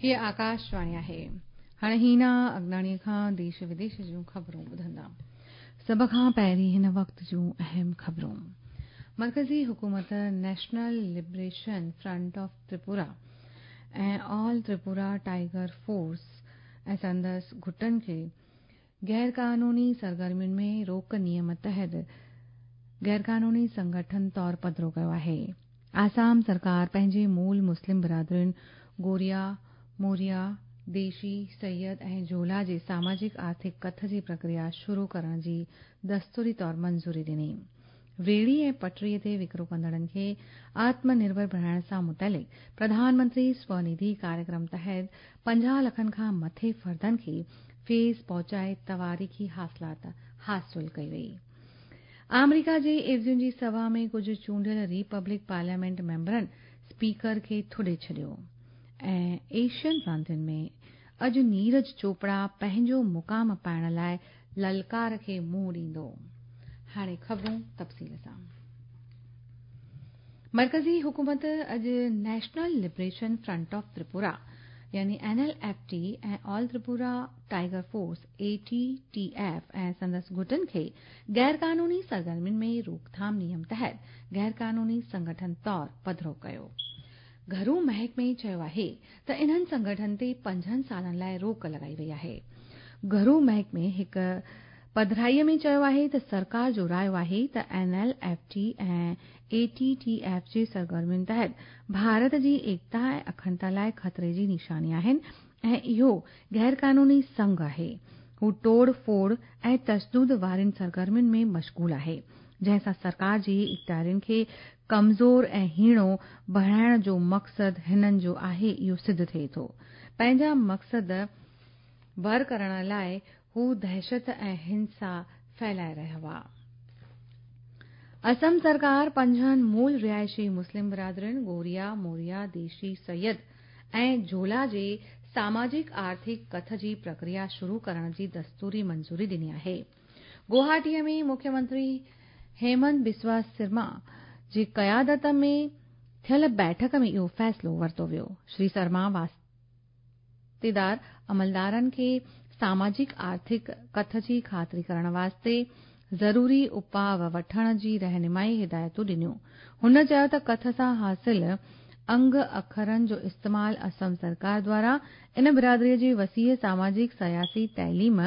هيء آڪاشواڻي آهي. هاڻي هينا اگناڻيء کان ديش وديش جون خبرون ٻڌندا. سڀ کان پهرين هن وقت جون اهم خبرون. مرڪزي حڪومت national liberation front of Tripura ۽ all Tripura tiger force ۽ سندس گٽن کي غيرقانوني سرگرمين ۾ روڪ نيم تحت غيرقانوني سنگٺن طور پڌرو ڪيو آهي. آسام سرڪار پنهنجي مول مسلم برادرين گوريا، موريا، ديشي، سيد ۽ جهولا جي ساماجڪ آرٿڪ ڪٿ جي پرڪريا شروع ڪرڻ جي دستوري طور منظوري ڏني. ريڙهي ۽ پٽڙي تي وڪرو ڪندڙن کي آتم نرڀر بڻائڻ سان متعلق پرڌان منتري سونڌي ڪاريڪرم تحت 50 لکن کان مٿي فردن کي فيض پهچائي تواريخي حاصلات حاصل ڪئي وئي. آمريڪا جي عيوضين جي سڀا ۾ ڪجهه چونڊيل ريپبلڪ پارليامينٽ ميمبرن اسپيڪر کي ٿڏي ڇڏيو ۽ ايشين راندين ۾ اڄ نيرج چوپڙا پنهنجو مقام پائڻ لاء للڪار کي منهن ڏيندو. هاڻي خبرون تفصيل سان. مرڪزي حڪومت اڄ national liberation front of Tripura يعني N L F T ۽ all Tripura tiger force, A T T F, ۽ سندس گٽن کي غيرقانوني سرگرمين ۾ روڪٿام نيم تحت غيرقانوني سنگٺن طور پڌرو ڪيو. گهرو محڪمي چيو آهي ته انهن سنگٺن تي 5 سالن لاء روڪ لڳائي وئي آهي. گهرو محڪمي هڪ پڌرائيء ۾ چيو آهي ته سرڪار جو رايو آهي ته N L F T ۽ A T T F جي سرگرمين تحت ڀارت جي ايڪتا ۽ اکنڊتا لاء خطري جي نشاني آهن ۽ اهو غيرقانوني سنگهه آهي. هو ٽوڙ ڦوڙ ۽ تشدد وارين سرگرمين ۾ مشغول آهي، جنهن سان سرڪار جي اختيارين کي ڪمزور ۽ هيڻو بڻائڻ جو مقصد هنن جو آهي اهو سڌ ٿئي ٿو. پنهنجا مقصد بر ڪرڻ لاء هو دهشت ۽ هنسا ڦهلائي رهيا هئا. اسم سرڪار پنجن مول رهائشي مسلم برادرين گوريا، موريا، ديشي، سيد ۽ جهولا جي ساماجڪ آرٿڪ ڪٿ جي پرڪريا شروع ڪرڻ جي دستوري منظوري ڏني آهي. گوهاٽيء ۾ مکيه منتري هيمنت بسوا سرما جي قيادت ۾ ٿيل بيٺڪ ۾ اهو فيصلو ورتو ويو. شري سرما واسطيدار عملدارن کي ساماجڪ آرٿڪ ڪٿ جي خاطري ڪرڻ واسطي ضروري اپاء وٺڻ جي رهنمائي هدايتون ڏنيون. هن چيو ته ڪٿ سان حاصل انگ اکرن جو استعمال اسم سرڪار دواران ان برادري جي وسيع ساماجڪ، سياسي، تعليم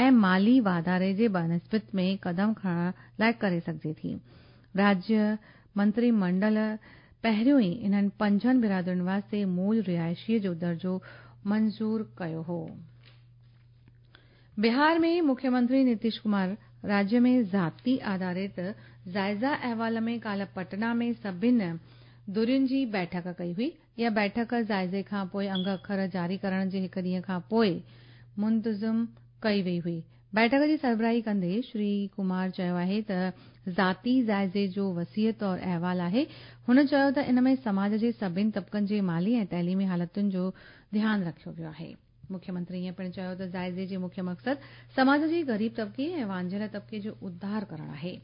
۽ مالي واڌاري جي بنسبت ۾ قدم کڻڻ لاء ڪري سگهجي ٿي. راجيه منتري منڊل پهريون ئي انهن پنجن برادرين واسطي مول رهائشي جو درجو منظور ڪيو هو. بهار ۾ مکيه منتري نتيش ڪمار راجيه ۾ ذاتي آڌارت جائزه احوال ۾ ڪالهه پٽنا ۾ سڀن ڌرين جي بيٺڪ ڪئي هئي. اها بيٺڪ جائزي کان پوء انگ اکر جاري ڪرڻ جي هڪ ڏينهن کان پوء منتظم ڪئي وئي هئي. بيٺڪ جي سربراهي ڪندي شري ڪمار چيو آهي ته ذاتي جائزي جو وسيع طور احوال آهي. هن چيو ته ان ۾ سماج جي سڀن طبقن جي مالي ۽ تعليمي حالتن جو ڌيان رکيو ويو آهي. مکيه منتري ائين پڻ چيو ته جائزي جي مکيه مقصد سماج جي غريب طبقي ۽ وانجهيل طبقي جو اڌار ڪرڻ آهي.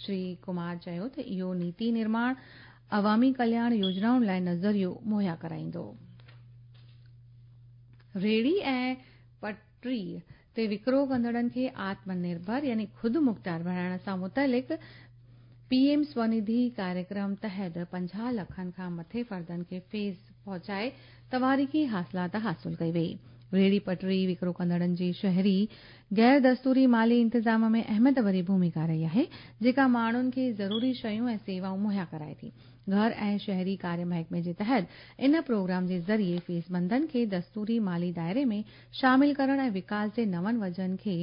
شري ڪمار چيو ته اهو نيتي نرماڻ عوامي ڪلياڻ يوجنائن لاء نظريو مهيا ڪرائيندو. ريڙهي ۽ پٽڙي تي وڪرو ڪندڙن کي آتم نرڀر يعني خودمختيار بڻائڻ سان متعلق پي ايم سونڌي ڪاريڪرم تحت 50 لکن کان مٿي فردن کي فيض پهچائي تواريخي حاصلات حاصل ڪئي وئي. ريڙهي پٽڙي وڪرو ڪندڙن جي شهري غير دستوري مالي انتظام ۾ اهميت ڀري ڀوميڪا رهي آهي، جيڪا ماڻهن کي ضروري شيون ۽ سيوائون مهيا ڪرائي ٿي. گهر ۽ شهري ڪاريه محڪمي جي تحت ان پروگرام جي ذريعي فيضمندن کي دستوري مالي دائري ۾ شامل ڪرڻ ۽ وڪاس جي نون وجهن کي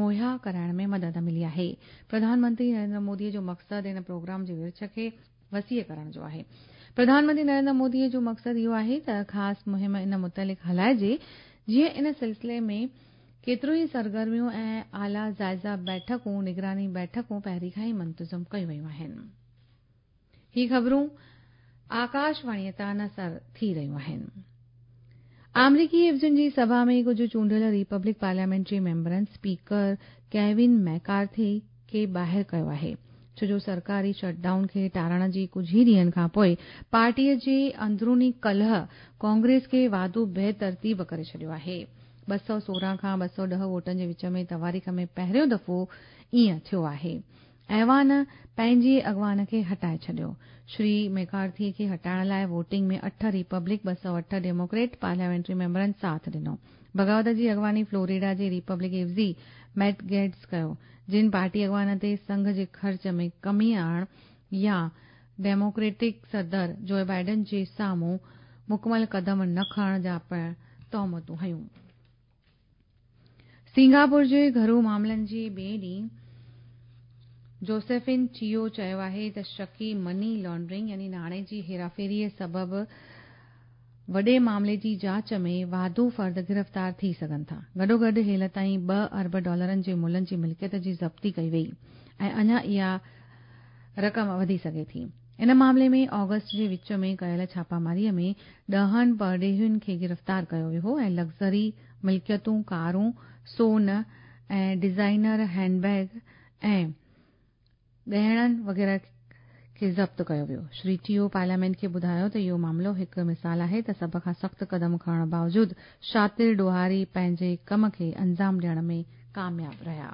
مهيا ڪرائڻ ۾ مدد ملي آهي. پرڌان منتري نريندر مودي جو مقصد ان پروگرام جي ورڇ کي وسيع ڪرڻ جو آهي. پرڌان منتري نريندر مودي جو مقصد اهو آهي ته خاص مهم ان متعلق هلائجي جيئن ان سلسلي ۾ ڪيتريون ئي سرگرميون ۽ اعليٰ جائزه بيٺڪون، نگراني بيٺڪون پهرين کان ئي منتظم ڪيون ويون آهن. هي خبرون آڪاشواڻيء تان نشر ٿي رهيون آهن. آمريڪي عيوضين جي سڀا ۾ ڪجهه چونڊيل ريپبلڪ پارليامينٽ جي ميمبرن اسپيڪر ڪيون ميڪارٿي کي ٻاهر ڪيو آهي. ڇو جو سرڪاري شٽ ڊائون کي ٽارڻ جي ڪجهه ئي ڏينهن کان پوءِ پارٽيء جي اندروني ڪلهه ڪانگريس کي واڌو بي ترتيب ڪري ڇڏيو آهي. 216 کان 210 ووٽن جي وچ ۾ تواريخ ۾ پهريون دفعو ائين ٿيو آهي. ايوان پنهنجي اڳواڻ کي هٽائي ڇڏيو. شري ميڪارٿي کي هٽائڻ لاءِ ووٽنگ ۾ 8 ريپبلڪ 208 ڊيموڪريٽ پارليامينٽري ميمبرن ساٿ ڏنو. بغاوت جي اڳواڻي فلوريڊا جي ريپبلڪ عيوضي ميٽ گيٽز ڪيو، جن پارٽي اڳواڻ تي سنگهه جي خرچ ۾ ڪمي آڻڻ يا ڊيموڪريٽڪ صدر جو بائيڊن جي سامهون مڪمل قدم نه کڻڻ جا پڻ تهمتون هنيون. سنگاپور جي گهرو معاملن جي ٻئي ڏينهن جوسيفن چيو چيو آهي ته شڪي مني لانڊرنگ يعني ناڻي جي هيراڦيريءَ سبب وڏي معاملي جي جاچ ۾ واڌو فرد گرفتار ٿي سگهن ٿا. گڏوگڏ هيل تائين 2 ارب ڊالرن جي ملن جي ملڪيت جي ضبطي ڪئي وئي ۽ اڃا اها رقم وڌي سگهي ٿي. ان معاملي ۾ آگسٽ جي وچ ۾ ڪيل ڇاپاماريءَ ۾ 10 پرڏيهين کي گرفتار ڪيو ويو هو ۽ لگزري ملڪيتون، ڪارون، سون ۽ ڊزائنر هينڊ بيگ ۽ ڳهڻن وغيره کي ضبط ڪيو ويو. شري ٽيو پارليامينٽ کي ٻڌايو ته اهو معاملو هڪ مثال آهي ته سڀ کان سخت قدم کڻڻ باوجود شاطر ڏوهاري پنهنجي ڪم کي انجام ڏيڻ ۾ ڪامياب رهيا.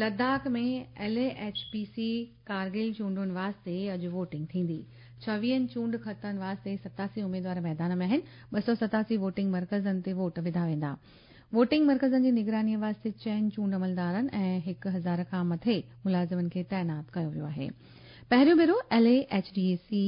Ladakh ۾ L A H P C Kargil چونڊن واسطي اڄ ووٽنگ ٿيندي. 26 چونڊ خطن واسطي 87 اميدوار ميدان ۾ آهن. 287 ووٽنگ مرڪزن تي ووٽ وڌا ويندا. ووٽنگ مرڪزن جي نگرانيءَ واسطي 4 چونڊ عملدارن ۽ 1000 کان مٿي ملازمن کي تعينات ڪيو ويو آهي. پهريون ڀيرو L A H D C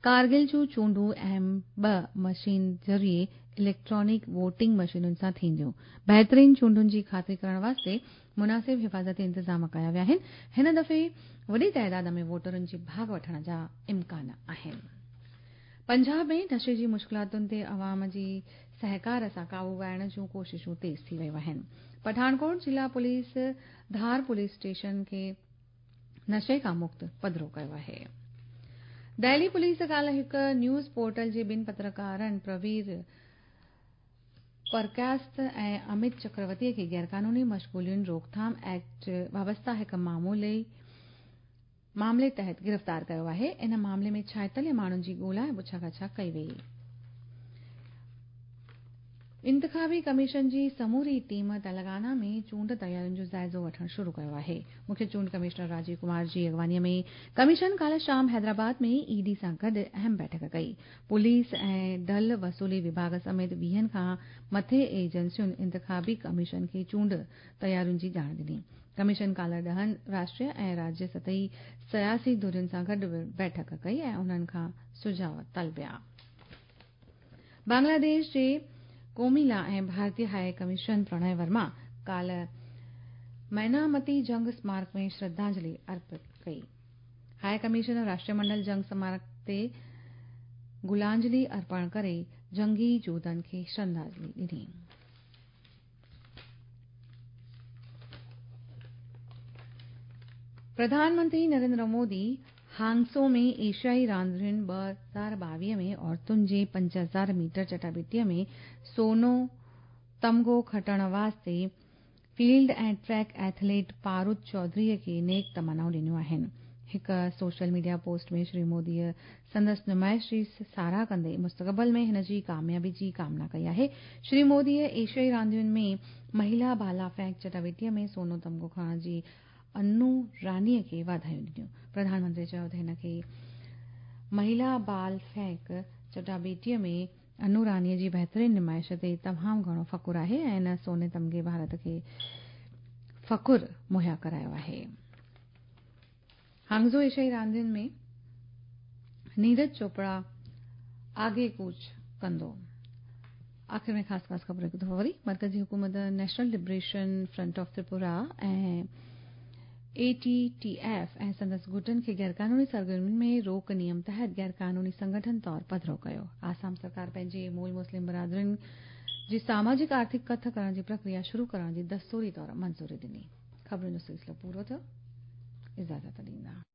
Kargil جون چونڊون ايم 2 مشين ذريعي اليڪٽرانڪ ووٽنگ مشينن سان ٿينديون. بهترين چونڊن جي خاطري ڪرڻ واسطي مناسب حفاظتي انتظام ڪيا ويا آهن. هن دفعي وڏي تعداد ۾ ووٽرن جي ڀاڳ وٺڻ جا امڪان آهن. پنجاب ۾ نشي جي مشڪلاتن تي عوام جي سهڪار سان قابو پائڻ جون ڪوششون تيز ٿي ويون آهن. پٺاڻڪوٽ ضلع پوليس ڌار پوليس اسٽيشن کي نشي کان مڪت پڌرو ڪيو آهي. دهلي پوليس ڪالهه هڪ نيوز پورٽل جي 2 پترڪارن پروير پرڪاست ۽ امت چڪرورتي کي غيرقانوني مشغولين روڪٿام ايڪٽ وابسته هڪ معاملي تحت گرفتار ڪيو آهي. ان معاملي ۾ 46 ماڻهن جي ڳولا ۽ پڇاڳاڇا ڪئي وئي. انتخابي ڪميشن جي سموري ٽيم تلنگانا ۾ چونڊ تيارين جو جائزو وٺڻ شروع ڪيو آهي. مکيه چونڊ ڪمشنر راجيو ڪمار جي اڳواڻيءَ ۾ ڪميشن ڪالهه شام حيدرآباد ۾ اي ڊي سان گڏ اهم بيٺڪ ڪئي. پوليس ۽ ڍل وصولي وڀاڳ سميت 20 کان مٿي ايجنسين انتخابي ڪميشن کي چونڊ تيارين جي ڄاڻ ڏني. ڪميشن ڪالهه 10 راشٽريه ۽ راجيه سطحي سياسي ڌرين سان گڏ بيٺڪ ڪئي ۽ انهن کان سجهاءُ طلبيا. بنگلاديش جي ڪوميلا ۽ ڀارتيه هاءِ ڪميشن پرڻي ورما ڪالهه مينامتي جنگ سمارڪ ۾ شرڌانجلي ارپت ڪئي. هاءِ ڪميشن راشٽريه منڊل جنگ سمارڪ تي گلانجلي ارپڻ ڪري جنگي جوڌن کي شرڌانجلي ڏني. پرڌان منتري نريندر مودي هانگسو ۾ ايشيائي راندين 2022 ۾ عورتن جي 5000 ميٽر چٽاڀيٽيءَ ۾ سونو تمغو کٽڻ واسطي فيلڊ ۽ ٽريڪ ايٿليٽ پارود چوڌريءَ کي نيڪ تمنائون ڏنيون آهن. هڪ سوشل ميڊيا پوسٽ ۾ شري موديءَ سندس نمائش جي ساراهه ڪندي مستقبل ۾ هن جي ڪاميابي جي ڪامنا ڪئي آهي. شري موديءَ ايشيائي راندين ۾ مهلا ڀالا ڦينڪ چٽاڀيٽيءَ ۾ سونو تمغو کڻڻ جي انو رانيءَ کي واڌايون ڏنيون. پرڌان منتري چيو ته هن کي مهلا بال ڦينڪ چٽاڀيٽيءَ ۾ انو رانيءَ جي بهترين نمائش تي تمام گهڻو فخر آهي ۽ ان سوني تمغي ڀارت کي فخر مهيا ڪرايو آهي. هانگزو ايشيائي راندين ۾ نيرج چوپڙا آگي ڪوچ ڪندو. آخر ۾ خاص خاص خبر هڪ دفعو وري. مرڪزي حڪومت national liberation front of Tripura ۽ A T T F ۽ سندس گٽن کي غيرقانوني سرگرمين ۾ روڪ نيم تحت غيرقانوني سنگٺن طور پڌرو ڪيو. آسام سرڪار پنهنجي مول مسلم برادرين جي ساماجڪ آرٿڪ ڪٿ ڪرڻ جي پرڪريا شروع ڪرڻ جي دستوري طور منظوري ڏني. خبرن جو سلسلو پورو ٿيو. اجازت ڏيندا.